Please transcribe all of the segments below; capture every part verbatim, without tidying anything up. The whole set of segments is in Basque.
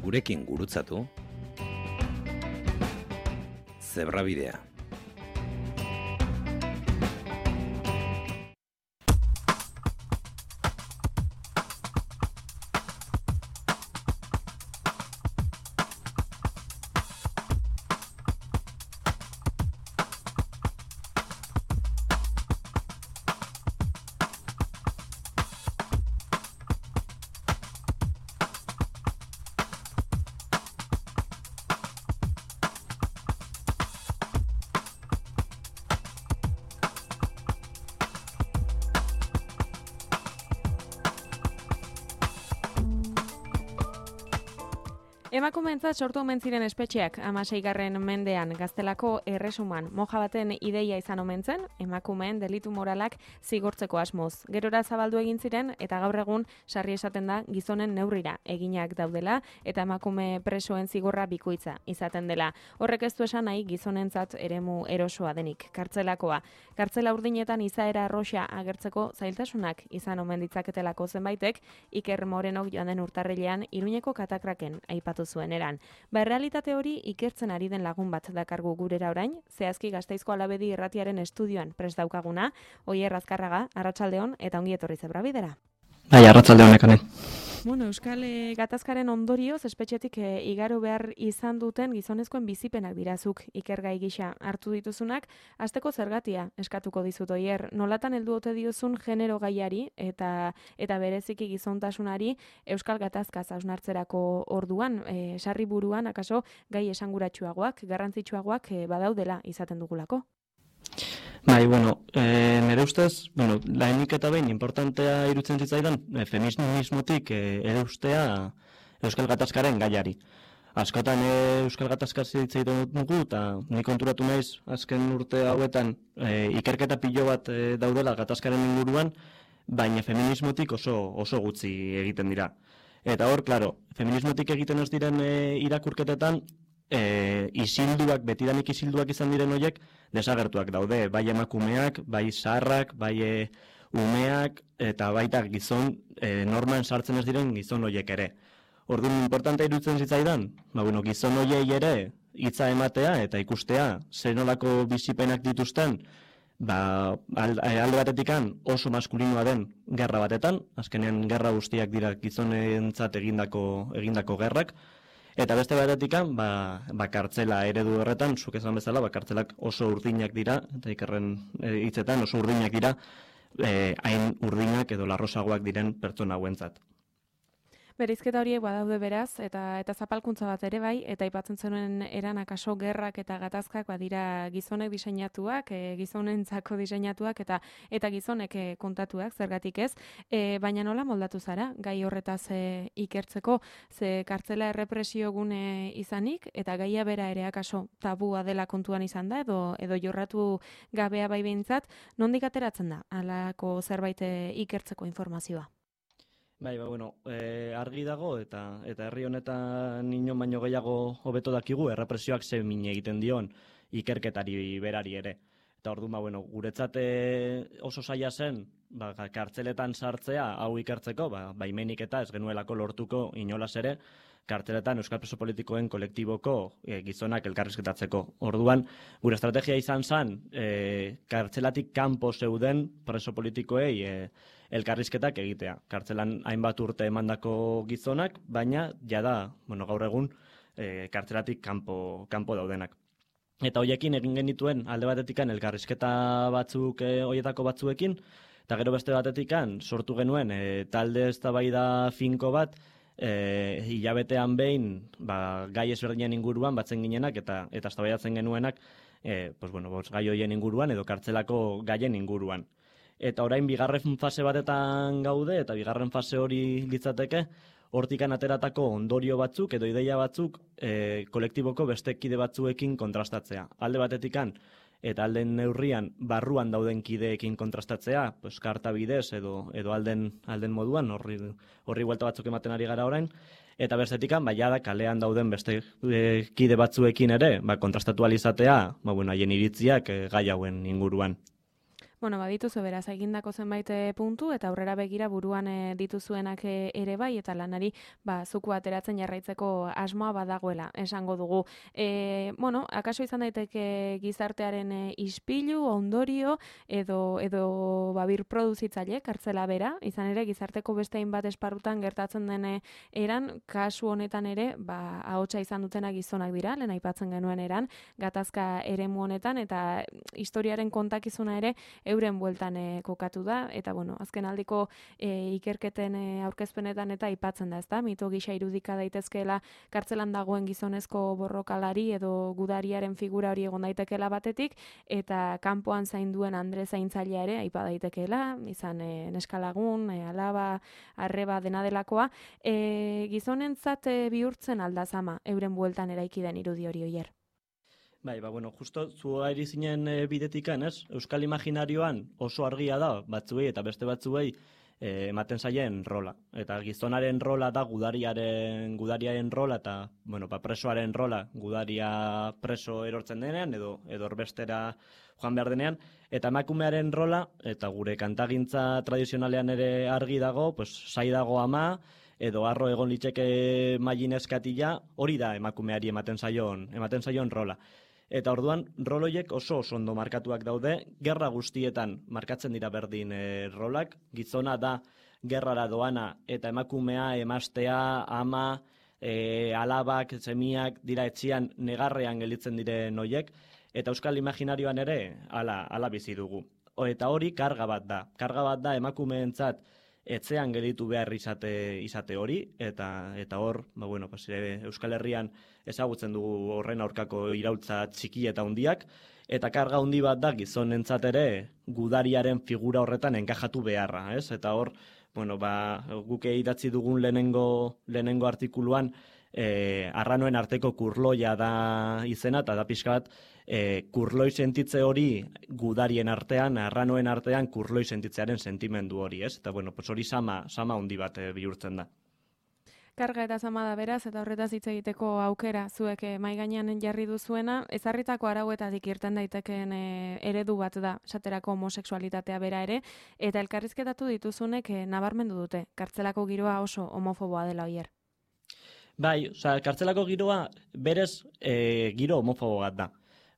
gurekin gurutzatu. Zebrabidea. Emakumeentzat sortu omen ziren espetxeak hamaseigarren mendean Gaztelako erresuman moja baten ideia izan omen zen, emakumeen delitu moralak zigortzeko asmoz. Gerora zabaldu egin ziren eta gaur egun sarri esaten da gizonen neurrira eginak daudela eta emakume presoen zigorra bikoitza izaten dela. Horrek ez du esan nahi gizonentzat eremu erosoa denik, kartzelakoa. Kartzela urdinetan izaera arroxa agertzeko zailtasunak izan omen ditzaketelako zenbaitek, Iker Morenok joan den urtarrilean Iruñeko katakraken aipatu zuen eran. Ba, realitate hori ikertzen ari den lagun bat dakargu gurera orain, zehazki Gasteizko Alabedi irratiaren estudioan prest daukaguna, Oier Azkarraga, arratsaldeon eta ongi etorri Zebrabidera. Bai, arratsaldeon ekanen. Bueno, Euskal e, gatazkaren ondorioz espetxetik e, igaro behar izan duten gizonezkoen bizipenak dirazuk ikergai gisa hartu dituzunak, hasteko zergatia eskatuko dizut Oier, nolatan heldu ote diozun genero gaiari eta eta bereziki gizontasunari Euskal gatazkaz hausnartzerako orduan, e, sarri buruan akaso gai esanguratsuagoak, garrantzitsuagoak e, badaudela izaten dugulako. Bai, bueno, e, nire ustez, bueno, lahenik eta behin importantea irutzen zitzaidan, e, feminismotik e, ere ustea Euskal Gatazkaren gaiari. Askotan e, Euskal Gatazkaz zitzaidan dugu, eta nik konturatu naiz, azken urte hauetan, e, ikerketa pilo bat e, daudela Gatazkaren inguruan, baina feminismotik oso, oso gutxi egiten dira. Eta hor, klaro, feminismotik egiten ez diren e, irakurketetan, E, isilduak, betidanik isilduak izan diren horiek, desagertuak daude, bai emakumeak, bai zaharrak, bai e, umeak, eta baita gizon, e, norman sartzen ez diren gizon horiek ere. Orduan, importantea iruditzen zitzaidan, ba, bueno, gizon horiei ere hitza ematea eta ikustea zer nolako bizipenak dituzten, ba, alde batetikan oso maskulinoa den gerra batetan, azkenean gerra guztiak dira gizonentzat egindako, egindako gerrak, eta beste batetikan, ba, ba kartzela eredu horretan, zuk esan bezala, ba kartzelak oso urdinak dira, eta ikerren hitzetan oso urdinak dira, eh, hain urdinak edo larrosagoak diren pertsona hauentzat. Bereizketa horiek badaude beraz, eta eta zapalkuntza bat ere bai, eta aipatzen zenuen eran akaso gerrak eta gatazkak badira gizonek diseinatuak, e, gizonentzako diseinatuak eta eta gizonek e, kontatuak, zergatik ez, e, baina nola moldatu zara, gai horretaz e, ikertzeko, ze kartzela errepresio gune izanik, eta gaia bera ere akaso tabua dela kontuan izan da, edo edo jorratu gabea bai behintzat, nondik ateratzen da, halako zerbait e, ikertzeko informazioa? Bai, ba, bueno, e, argi dago eta eta herri honetan inon baino gehiago hobeto dakigu errepresioak ze min egiten dion ikerketari berari ere. Eta orduan, ba, bueno, guretzat oso zaila zen, ba, kartzeletan sartzea hau ikertzeko, ba, baimenik eta ez genuelako lortuko inolaz ere, kartzeletan Euskal Preso Politikoen kolektiboko e, gizonak elkarrizketatzeko. Orduan, gure estrategia izan zen, e, kartzelatik kanpo zeuden preso politikoei e, elkarrizketak egitea. Kartzelan hainbat urte emandako gizonak, baina jada, bueno, gaur egun e, kartzelatik kanpo, kanpo daudenak. Eta hoiekin egin genituen alde batetikan elkarrizketa batzuk e, hoietako batzuekin, eta gero beste batetikan sortu genuen e, talde eztabaida finko bat, e, hilabetean behin ba, gai ezberdinen inguruan batzen ginenak eta eta eztabaidatzen genuenak e, pues, bueno, bos, gai hoien inguruan edo kartzelako gaien inguruan. Eta orain bigarren fase batetan gaude, eta bigarren fase hori litzateke, hortikan ateratako ondorio batzuk edo ideia batzuk e, kolektiboko beste kide batzuekin kontrastatzea. Alde batetikan eta alden neurrian barruan dauden kideekin kontrastatzea, pues, karta bidez edo, edo alden, alden moduan, horri, horri buelta batzuk ematen ari gara orain, eta bestetikan, ba, jada kalean dauden beste e, kide batzuekin ere, ba, kontrastatu alizatea, ba, bueno, haien iritziak e, gai hauen inguruan. Bueno, badituzu beraz egindako zenbait puntu eta aurrera begira buruan e, dituzuenak e, ere bai eta lanari ba zuku ateratzen jarraitzeko asmoa badagoela, esango dugu. E, bueno, akaso izan daiteke gizartearen e, ispilu, ondorio edo edo babir produzitzaile kartzela bera, izan ere gizarteko beste hainbat esparrutan gertatzen den eran, kasu honetan ere, ba ahotsa izan dutenak gizonak dira, lehen aipatzen genuen eran, gatazka eremu honetan eta historiaren kontakizuna ere euren bueltan e, kokatu da, eta bueno, azken aldiko e, ikerketen e, aurkezpenetan eta aipatzen da, ezta? Mito gisa irudika daitezkeela kartzelan dagoen gizonezko borrokalari edo gudariaren figura hori egon daitekeela batetik, eta kanpoan zainduen Andre zaintzailea ere aipa daitekeela, izan e, neskalagun, e, alaba, arreba dena delakoa, e, gizonentzat e, bihurtzen aldazama euren bueltan eraiki den irudi hori oier. Bai, ba, bueno, justo zu ari zinen e, bidetikan, ez? Euskal imaginarioan oso argia da, batzuei eta beste batzuei e, ematen zaien rola. Eta gizonaren rola da gudariaren, gudariaren rola eta, bueno, ba, presoaren rola, gudaria preso erortzen denean edo, edo erbestera joan behar denean. Eta emakumearen rola, eta gure kantagintza tradizionalean ere argi dago, pues, sai dago ama, edo arro egon litzeke mailin eskatila, hori da emakumeari ematen zaion, ematen zaion rola. Eta orduan, roloiek oso oso ondo markatuak daude, gerra guztietan markatzen dira berdin e, rolak, gizona da gerrara doana eta emakumea, emastea, ama, e, alabak, semiak dira etxian negarrean gelditzen diren hoiek, eta euskal imaginarioan ere hala, hala bizi dugu. O, eta hori karga bat da, karga bat da emakumeentzat etzean gelditu behar izate, izate hori, eta eta hor, ba, bueno, pues, e, Euskal Herrian ezagutzen dugu horren aurkako iraultza txiki eta hundiak, eta karga hundi bat da gizonentzat ere gudariaren figura horretan enkajatu beharra, ez? Eta hor, bueno, ba, guke idatzi dugun lehenengo, lehenengo artikuluan, e, arranoen arteko kurloia da izena, eta da pixka bat, e, kurloi sentitze hori gudarien artean, arranoen artean kurloi sentitzearen sentimendu hori, ez? Eta bueno, pues hori sama, sama hundi bat e, bihurtzen da. Karga eta zama da beraz, eta horretaz hitz egiteko aukera zuek mai gainean jarri duzuena, ezarritako arauetatik irten daitekeen e, eredu bat da, esaterako homosexualitatea bera ere, eta elkarrizketatu dituzunek e, nabarmendu dute, kartzelako giroa oso homofoboa dela oier. Bai, oza, kartzelako giroa berez e, giro homofobo bat da.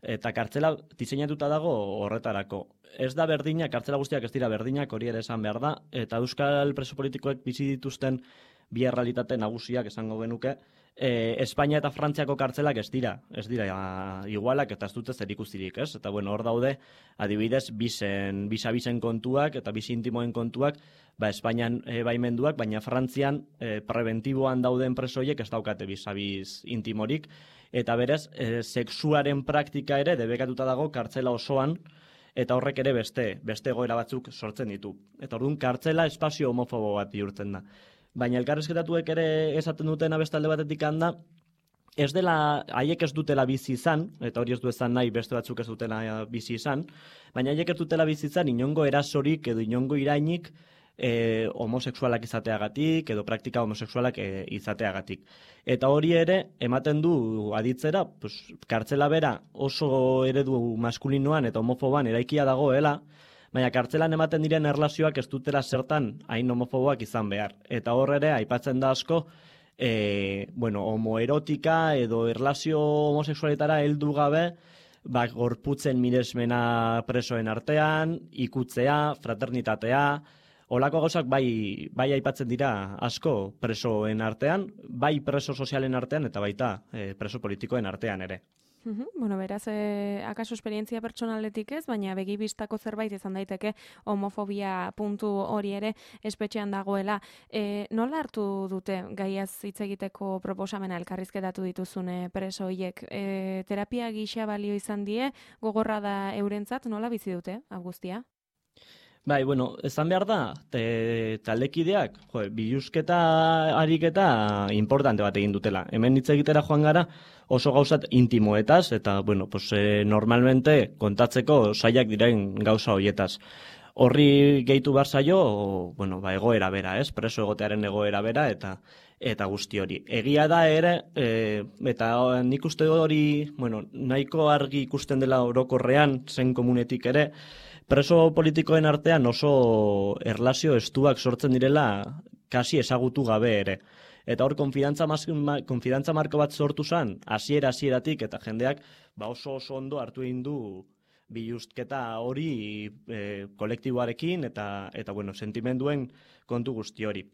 Eta kartzela diseinatuta dago horretarako. Ez da berdina, kartzela guztiak ez dira berdinak, hori ere esan behar da, eta euskal preso politikoek bizi dituzten bi errealitate nagusiak esango genuke, e, Espainia eta Frantziako kartzelak ez dira, ez dira a, igualak eta ez dute zerikusirik, ez? Eta bueno, hor daude, adibidez, bisen, bisa-bisen kontuak eta bisi intimoen kontuak, ba, Espainian e, baimenduak, baina Frantzian e, preventiboan dauden presoiek ez daukate bisa-biz intimorik, eta berez, e, sexuaren praktika ere debekatuta dago kartzela osoan, eta horrek ere beste, beste egoera batzuk sortzen ditu. Eta orduan kartzela espazio homofobo bat bihurtzen da. Baina elkarrizketatuek ere esaten duten abestalde batetik handa, ez dela, haiek ez dutela bizi izan, eta hori ez du ezan nahi beste batzuk ez dutela bizi izan, baina haiek ez dutela bizi izan inongo erasorik edo inongo irainik e, homosexualak izateagatik edo praktika homosexualak e, izateagatik. Eta hori ere ematen du aditzera, pues, kartzela bera oso eredu maskulinoan eta homofoban eraikia dagoela, baina kartzelan ematen diren erlazioak ez dutela zertan hain homofoboak izan behar. Eta hor ere aipatzen da asko, e, bueno, homoerotika edo erlazio homosexualitara heldu gabe, ba, gorputzen miresmena presoen artean, ikutzea, fraternitatea, holako gauzak bai, bai aipatzen dira asko presoen artean, bai preso sozialen artean eta baita e, preso politikoen artean ere. Uhum, bueno, beraz, eh, akaso esperientzia pertsonaletik ez, baina begibistako zerbait izan daiteke homofobia puntu hori ere espetxean dagoela. E, nola hartu dute gaiaz hitz egiteko proposamena elkarrizketatu dituzune preso hiek? E, terapia gisa balio izan die, gogorra da eurentzat, nola bizi dute, Augustia? Bai, bueno, esan behar da, te, taldekideak, jo, biluzketa ariketa importante bat egin dutela. Hemen hitz egitera joan gara oso gauzat intimoetaz, eta, bueno, pues, eh, normalmente kontatzeko saiak diren gauza hoietaz. Horri gehitu behar zaio, bueno, ba, egoera bera, ez? Preso egotearen egoera bera, eta eta guzti hori. Egia da ere, e, eta nik uste hori, bueno, nahiko argi ikusten dela orokorrean, zen komunetik ere, preso politikoen artean oso erlazio estuak sortzen direla kasi ezagutu gabe ere. Eta hor, konfidantza, ma, konfidantza marko bat sortu zen, hasiera hasieratik eta jendeak ba oso oso ondo hartu egin du biluzketa hori e, kolektiboarekin eta, eta bueno, sentimenduen kontu guzti hori.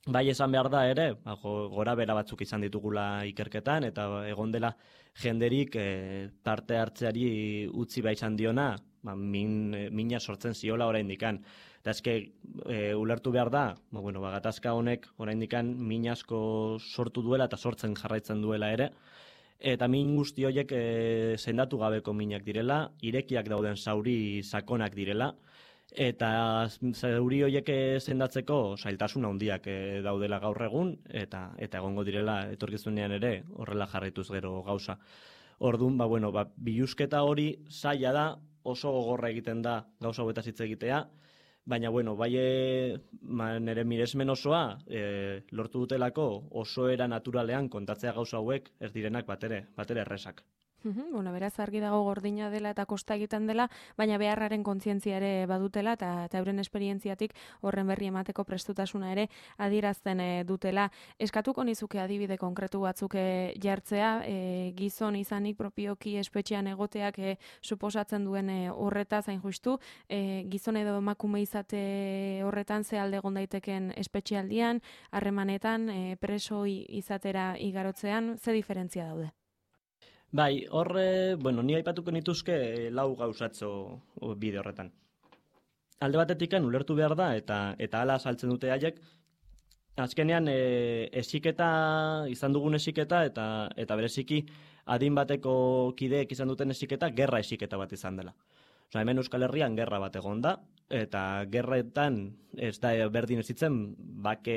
Bai esan behar da ere, ba, gora bera batzuk izan ditugula ikerketan, eta egon dela jenderik e, parte hartzeari utzi bai izan diona, ba, min, mina sortzen ziola oraindikan. Eta eske e, ulertu behar da, ba, bueno, ba, gatazka honek oraindikan min asko sortu duela eta sortzen jarraitzen duela ere, eta min guzti horiek e, sendatu gabeko minak direla, irekiak dauden zauri sakonak direla, eta zauri horiek sendatzeko zailtasun handiak e, daudela gaur egun, eta eta egongo direla etorkizunean ere horrela jarraituz gero gauza. Orduan, ba, bueno, ba, biluzketa hori zaila da, oso gogorra egiten da gauza hauetaz hitz egitea, baina, bueno, bai ma, nire miresmen osoa e, lortu dutelako oso era naturalean kontatzea gauza hauek ez direnak batere, batere erresak. Bueno, beraz argi dago gordina dela eta kosta egiten dela, baina beharraren kontzientzia ere badutela eta, eta euren esperientziatik horren berri emateko prestutasuna ere adierazten e, dutela. Eskatuko nizuke adibide konkretu batzuk e, jartzea, e, gizon izanik propioki espetxean egoteak e, suposatzen duen e, horretaz hain justu, e, gizon edo emakume izate horretan ze alde egon daiteken espetxealdian, harremanetan, e, preso izatera igarotzean, ze diferentzia daude? Bai, horre, bueno, ni aipatuko nituzke lau gauzatzo bide horretan. Alde batetikan ulertu behar da, eta eta hala saltzen dute haiek, azkenean e, esiketa, izan dugun esiketa, eta eta bereziki adin bateko kideek izan duten esiketa, gerra esiketa bat izan dela. Osa, hemen Euskal Herrian gerra bat egon da, eta gerretan ez da berdin ezitzen, bake,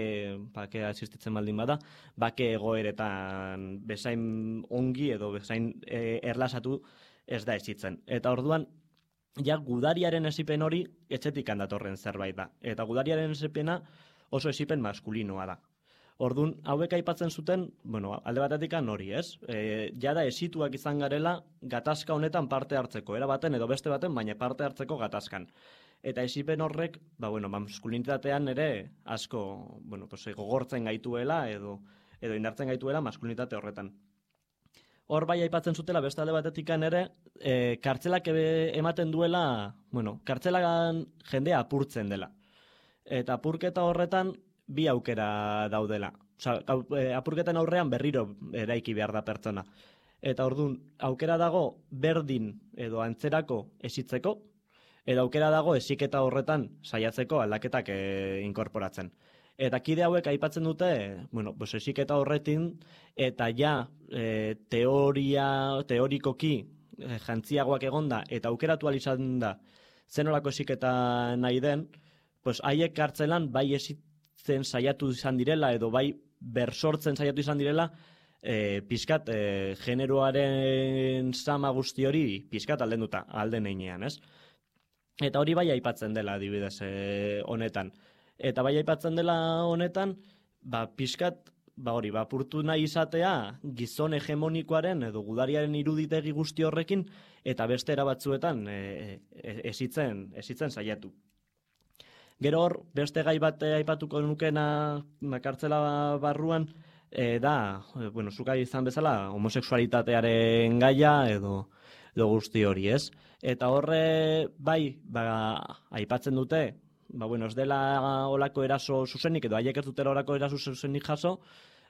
bakea existitzen baldin bada, bake egoeretan bezain ongi edo bezain e, erlasatu ez da ezitzen. Eta orduan, ja gudariaren esipen hori etxetik handatorren zerbait da. Eta gudariaren esipena oso esipen maskulinoa da. Orduan, hauek aipatzen zuten, bueno, alde batetik hori, ez? E, jada esituak izan garela gatazka honetan parte hartzeko, era baten edo beste baten, baina parte hartzeko gatazkan. Eta esipen horrek, ba, bueno, maskulinitatean ere asko, bueno, pues, gogortzen gaituela edo, edo indartzen gaituela maskulinitate horretan. Hor bai aipatzen zutela beste alde batetikan ere, e, kartzelak ematen duela, bueno, kartzelagan jendea apurtzen dela. Eta apurketa horretan bi aukera daudela. Osa, apurketan aurrean berriro eraiki behar da pertsona. Eta orduan, aukera dago berdin edo antzerako esitzeko, edo aukera dago esiketa horretan saiatzeko aldaketak e, inkorporatzen. Eta kide hauek aipatzen dute, bueno, pues esiketa horretin, eta ja e, teoria, teorikoki e, jantziagoak egonda, eta aukeratu izan da zenolako esiketa nahi den, pues haiek kartzelan bai esit zen saiatu izan direla edo bai bersortzen saiatu izan direla e, pizkat e, generoaren sama guzti hori pizkat aldenduta alden einean, ez? Eta hori bai aipatzen dela adibidez e, honetan. Eta bai aipatzen dela honetan, ba pizkat ba hori, ba apurtu nahi izatea gizon hegemonikoaren edo gudariaren iruditegi guzti horrekin eta beste era batzuetan e, e, esitzen, esitzen saiatu. Gero hor, beste gai bat aipatuko nukena kartzela barruan, e, da, e, bueno, zuka izan bezala, homosexualitatearen gaia edo, edo guzti hori, ez? Eta horre, bai, ba, aipatzen dute, ba, bueno, ez dela olako eraso zuzenik, edo haiek ez dutela olako eraso zuzenik jaso,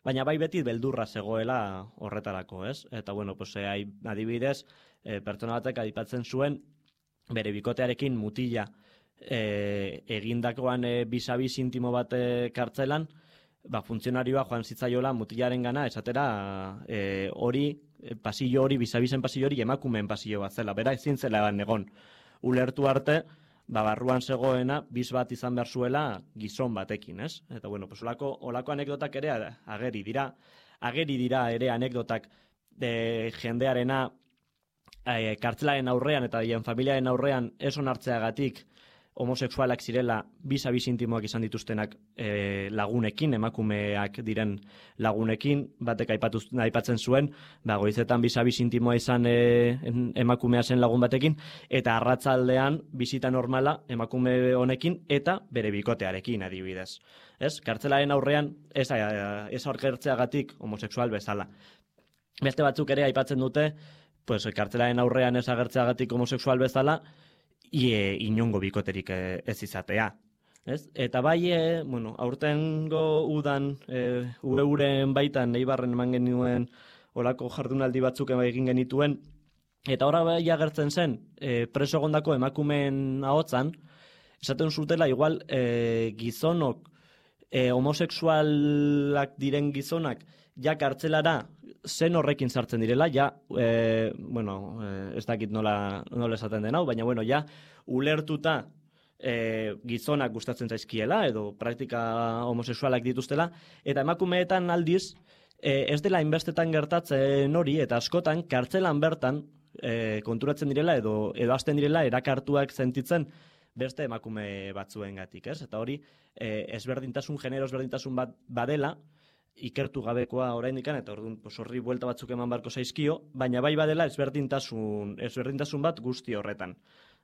baina bai beti beldurra zegoela horretarako, ez? Eta, bueno, pues, e, adibidez, e, pertsona batek aipatzen zuen, bere bikotearekin mutila, E, egindakoan e, bisabiz intimo bat e, kartzelan, ba, funtzionarioa joan zitzaiola mutilaren gana, esatera e, hori, e, pasillo hori, bisabizen pasillo hori emakumeen pasillo bat zela, bera ezin zela egon. Ulertu arte, ba, barruan zegoena, biz bat izan behar zuela gizon batekin, ez? Eta, bueno, pues, olako, olako anekdotak ere ageri dira, ageri dira ere anekdotak de, jendearena e, kartzelaren aurrean eta dien familiaren aurrean ez onartzeagatik homosexualak zirela bizabiz intimoak izan dituztenak e, lagunekin, emakumeak diren lagunekin, batek aipatu, aipatzen zuen, ba, goizetan bizabiz intimoa izan e, emakumea zen lagun batekin, eta arratzaldean bizita normala emakume honekin eta bere bikotearekin adibidez. Ez? Kartzelaren aurrean ez, ez aurkertzeagatik homosexual bezala. Beste batzuk ere aipatzen dute, pues, kartzelaren aurrean ez agertzeagatik homosexual bezala, ie inongo bikoterik ez izatea. Ez? Eta bai, e, bueno, aurtengo udan, e, ure uren baitan, Eibarren eman genuen olako jardunaldi batzuk egin genituen, eta horra bai agertzen zen, e, preso egondako emakumeen ahotzan, esaten zutela, igual, e, gizonok, e, homosexualak diren gizonak, ja kartzelara zen horrekin sartzen direla, ja, e, bueno, ez dakit nola, nola esaten den hau, baina, bueno, ja, ulertuta e, gizonak gustatzen zaizkiela, edo praktika homosexualak dituztela, eta emakumeetan aldiz, e, ez dela inbestetan gertatzen hori, eta askotan, kartzelan bertan, e, konturatzen direla, edo, edo hasten direla, erakartuak sentitzen, beste emakume batzuengatik, ez? Eta hori, e, ezberdintasun, genero ezberdintasun bat badela, ikertu gabekoa oraindikan, eta orduan horri buelta batzuk eman barko zaizkio, baina bai badela ezberdintasun, ezberdintasun bat guzti horretan.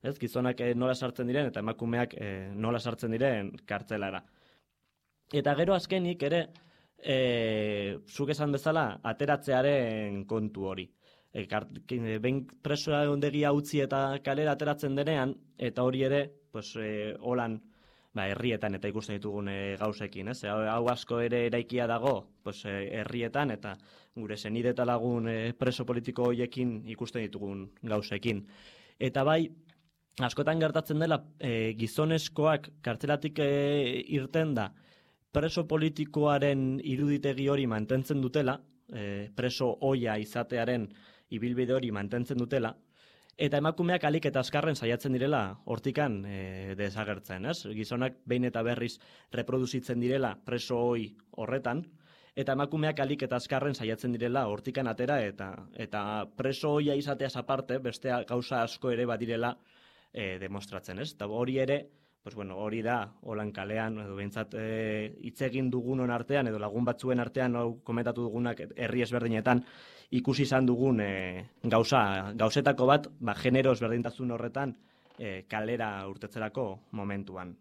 Ez, gizonak nola sartzen diren eta emakumeak e, nola sartzen diren kartzelara. Eta gero azkenik ere, e, zuk esan bezala, ateratzearen kontu hori. E, kart, behin presoa ondegia utzi eta kalera ateratzen denean, eta hori ere, pues, e, holan, ba, herrietan eta ikusten ditugun e, gauzekin, ez? Hau, hau asko ere eraikia dago, pues, e, herrietan eta gure senide eta lagun e, preso politiko horiekin ikusten ditugun gauzekin. Eta bai, askotan gertatzen dela e, gizonezkoak kartzelatik e, irten da preso politikoaren iruditegi hori mantentzen dutela, e, preso oia izatearen ibilbide hori mantentzen dutela, eta emakumeak alik eta azkarren saiatzen direla hortikan e, desagertzen, ez? Gizonak behin eta berriz reproduzitzen direla preso hoi horretan, eta emakumeak alik eta azkarren saiatzen direla hortikan atera, eta eta preso hoia izateaz aparte, beste gauza asko ere badirela e, demostratzen, ez? Eta hori ere, pues bueno, hori da, holan kalean, edo behintzat hitz e, egin dugunon artean, edo lagun batzuen artean, hau komentatu dugunak herri ezberdinetan, ikusi izan dugun e, gauza, gauzetako bat, ba, genero ezberdintasun horretan e, kalera urtetzerako momentuan.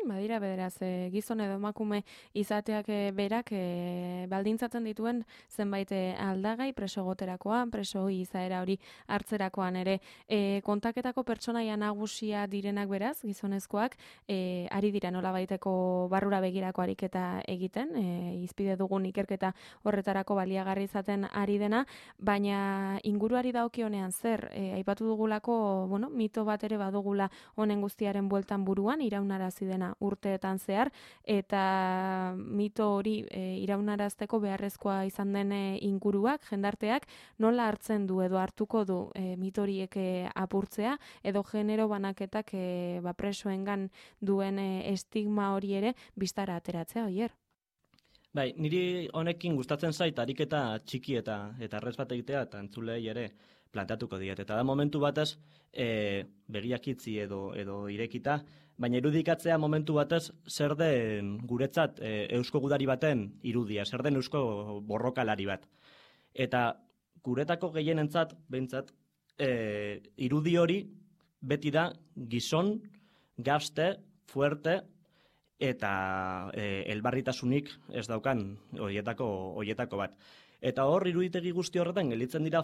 Badira beraz, e, gizon edo emakume izateak e, berak e, baldintzatzen dituen zenbait e, aldagai preso goterakoan, preso izaera hori hartzerakoan ere. E, kontaketako pertsonaia nagusia direnak beraz, gizonezkoak, e, ari dira nolabaiteko barrura begirako ariketa egiten, e, izpide dugun ikerketa horretarako baliagarri izaten ari dena, baina inguruari dagokionean zer, e, aipatu dugulako, bueno, mito bat ere badugula honen guztiaren bueltan buruan, iraunarazi dena urteetan zehar, eta mito hori e, iraunarazteko beharrezkoa izan den e, inguruak, jendarteak, nola hartzen du edo hartuko du e, mito horiek e, apurtzea, edo genero banaketak e, ba, presoengan duen e, estigma hori ere biztara ateratzea, oier? Bai, niri honekin gustatzen zait ariketa txiki eta eta errez bat egitea, eta entzulei ere planteatuko diet. Eta da momentu batez, e, begiak itzi edo, edo irekita, baina irudikatzea momentu batez zer den guretzat e, eusko gudari baten irudia, zer den eusko borrokalari bat. Eta guretako gehienentzat, behintzat, e, irudi hori beti da gizon, gazte, fuerte, eta e, elbarritasunik ez daukan horietako horietako bat. Eta hor iruditegi guzti horretan gelditzen dira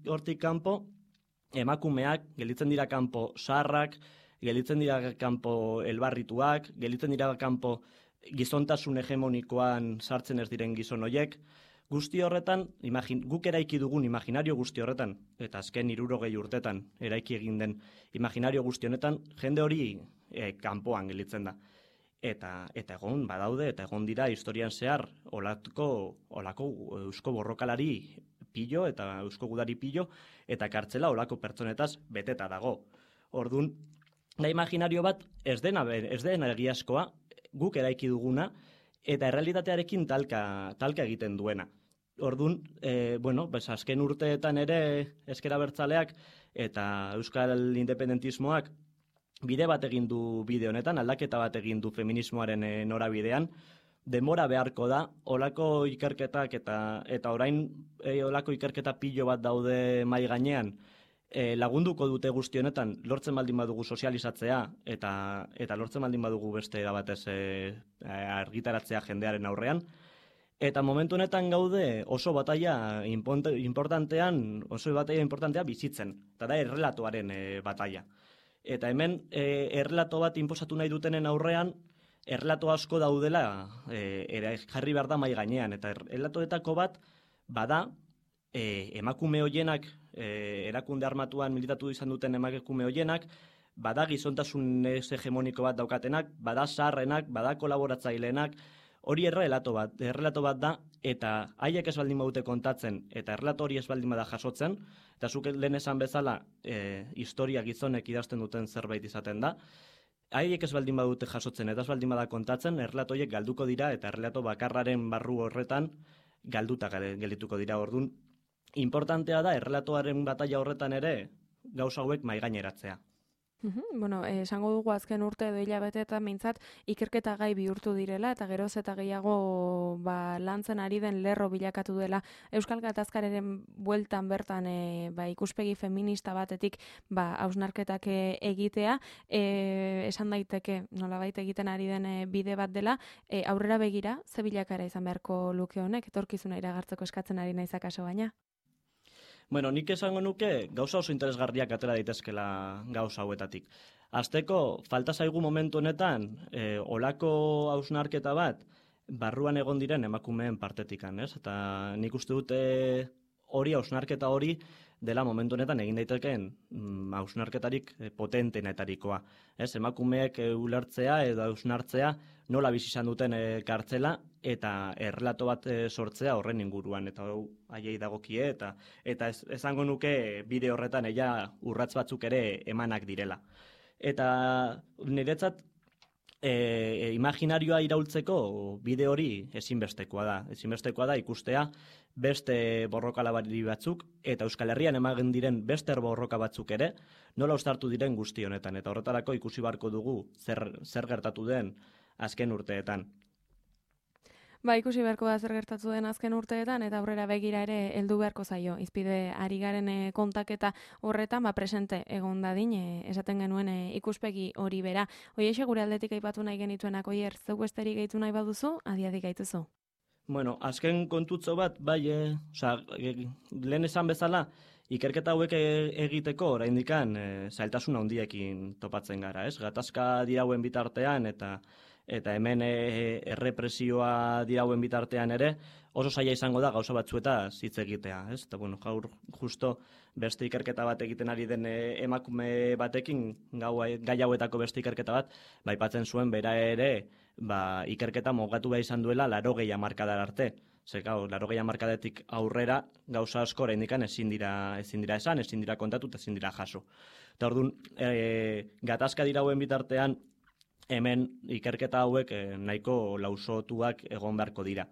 hortik kanpo emakumeak, gelditzen dira kanpo zaharrak, gelditzen dira kanpo elbarrituak, gelditzen dira kanpo gizontasun hegemonikoan sartzen ez diren gizon hoiek. Guzti horretan, imagin, guk eraiki dugun imaginario guzti horretan, eta azken hirurogei urtetan eraiki egin den imaginario guzti honetan, jende hori e, kanpoan gelditzen da. Eta, eta egon badaude, eta egon dira historian zehar olako, olako eusko borrokalari pillo, eta eusko gudari pillo, eta kartzela olako pertsonetaz beteta dago. Orduan, da imaginario bat ez dena, ez dena egiazkoa, guk eraiki duguna, eta errealitatearekin talka, talka egiten duena. Orduan, e, bueno, pues azken urteetan ere ezker abertzaleak eta euskal independentismoak bide bat egin du bide honetan, aldaketa bat egin du feminismoaren e, norabidean, denbora beharko da, olako ikerketak eta eta orain e, olako ikerketa pilo bat daude mai gainean, e, lagunduko dute guzti honetan, lortzen baldin badugu sozializatzea eta eta lortzen baldin badugu beste era batez e, argitaratzea jendearen aurrean. Eta momentu honetan gaude oso bataila importantean, oso bataila importantea bizitzen, eta da errelatoaren e, bataila. Eta hemen e, errelato bat inposatu nahi dutenen aurrean, errelato asko daudela e, jarri behar da mai gainean, eta errelatoetako bat bada e, emakume hoienak, e, erakunde armatuan militatu izan duten emakume hoienak, bada gizontasun ez hegemoniko bat daukatenak, bada zaharrenak, bada kolaboratzaileenak, hori errelato bat, errelato bat da, eta haiek ez baldin badute kontatzen, eta errelato hori ez baldin bada jasotzen, eta zuk lehen esan bezala e, historia gizonek idazten duten zerbait izaten da, haiek ez baldin badute jasotzen, eta ez baldin bada kontatzen, errelato horiek galduko dira, eta errelato bakarraren barru horretan galduta geldituko dira. Orduan, importantea da, errelatoaren bataila horretan ere, gauza hauek maigaineratzea. Uhum, bueno, eh, esango dugu azken urte edo hilabete eta mintzat ikerketa gai bihurtu direla eta geroz eta gehiago ba, lantzen ari den lerro bilakatu dela Euskal Gatazkaren bueltan bertan e, ba, ikuspegi feminista batetik ba, hausnarketak e, egitea, e, esan daiteke nolabait egiten ari den e, bide bat dela, e, aurrera begira, ze bilakara izan beharko luke honek, etorkizuna iragartzeko eskatzen ari naizak aso baina? Bueno, nik esango nuke gauza oso interesgarriak atera daitezkela gauza hauetatik. Hasteko, falta zaigu momentu honetan, e, olako hausnarketa bat, barruan egon diren emakumeen partetikan, ez? Eta nik uste dute hori, hausnarketa hori, dela momentu honetan egin daitekeen hausnarketarik mm, potentenetarikoa. Ez, emakumeek e, ulertzea edo hausnartzea nola bizi izan duten e, kartzela eta errelato bat e, sortzea horren inguruan, eta haiei dagokie, eta eta ez, esango nuke bide horretan ella urratz batzuk ere emanak direla. Eta niretzat e, imaginarioa iraultzeko bide hori ezinbestekoa da. Ezinbestekoa da ikustea beste borrokalabari batzuk eta Euskal Herrian ematen diren beste borroka batzuk ere nola uztartu diren guzti honetan, eta horretarako ikusi beharko dugu zer, zer gertatu den azken urteetan. Ba, ikusi beharko da zer gertatu den azken urteetan, eta aurrera begira ere heldu beharko zaio. Izpide ari garen e, kontaketa horretan, ba, presente egon dadin, e, esaten genuen e, ikuspegi hori bera. Hoixe gure aldetik aipatu nahi genituenak, oier, zeu besterik gehitu nahi baduzu, adiadik gaituzu. Bueno, azken kontutzo bat, bai, e, oza, e, lehen esan bezala, ikerketa hauek egiteko oraindikan e, zailtasun handiekin topatzen gara, ez? Gatazka dirauen bitartean eta eta hemen e, errepresioa dirauen bitartean ere, oso zaila izango da gauza batzuetaz hitz egitea, ez? Eta bueno, gaur justo beste ikerketa bat egiten ari den e, emakume batekin, gau, gai hauetako beste ikerketa bat, ba, aipatzen zuen bera ere, ba, ikerketa mogatu behar izan duela larogei hamarkadar arte. Zer, gau, larogei hamarkadetik aurrera gauza asko oraindikan ezin dira, ezin dira esan, ezin dira kontatu, ezin dira jaso. Eta orduan, e, gatazka dirauen bitartean, hemen ikerketa hauek eh, nahiko lausotuak egon beharko dira.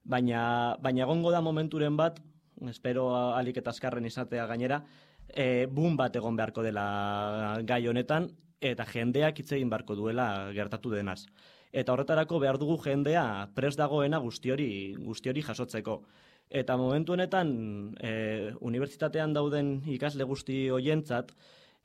Baina, baina egongo da momenturen bat, espero alik eta azkarren izatea gainera, e, boom bat egon beharko dela gai honetan, eta jendeak hitz egin beharko duela gertatu denaz. Eta horretarako behar dugu jendea prest dagoena guzti hori, guzti hori jasotzeko. Eta momentu honetan, e, unibertsitatean dauden ikasle guzti hoientzat,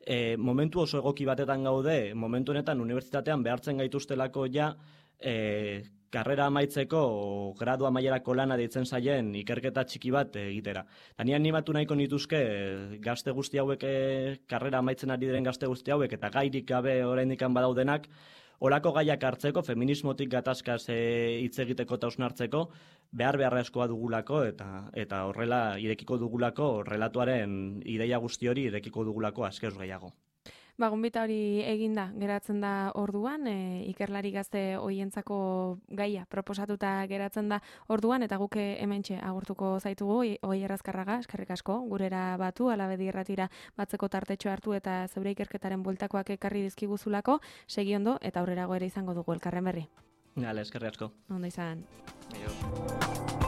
E, momentu oso egoki batetan gaude, momentu honetan unibertsitatean behartzen gaituztelako ja e, karrera amaitzeko gradua mailerako lana deitzen zaien ikerketa txiki bat egitera. Eta ni animatu nahiko nituzke gazte guzti hauek, e, karrera amaitzen ari diren gazte guzti hauek eta gairik gabe oraindikan badaudenak, olako gaiak hartzeko, feminismotik gatazkaz hitz e, egiteko eta hausnartzeko, behar beharrezkoa dugulako eta eta horrela irekiko dugulako relatuaren ideia guzti hori irekiko dugulako azkeuz gehiago. Ba, gonbita hori eginda, geratzen da orduan, e, ikerlari gazte hoientzako gaia proposatuta geratzen da orduan, eta guke hementxe agurtuko zaitugu, Oier Azkarraga, eskerrik asko, gurera batu, Alabedi Irratira batzeko tartetxo hartu eta zeure ikerketaren bueltakoak ekarri dizkiguzulako, segi ondo eta aurrerago ere izango dugu elkarren berri. Gale, eskerrik asko. Ondo izan. Aio.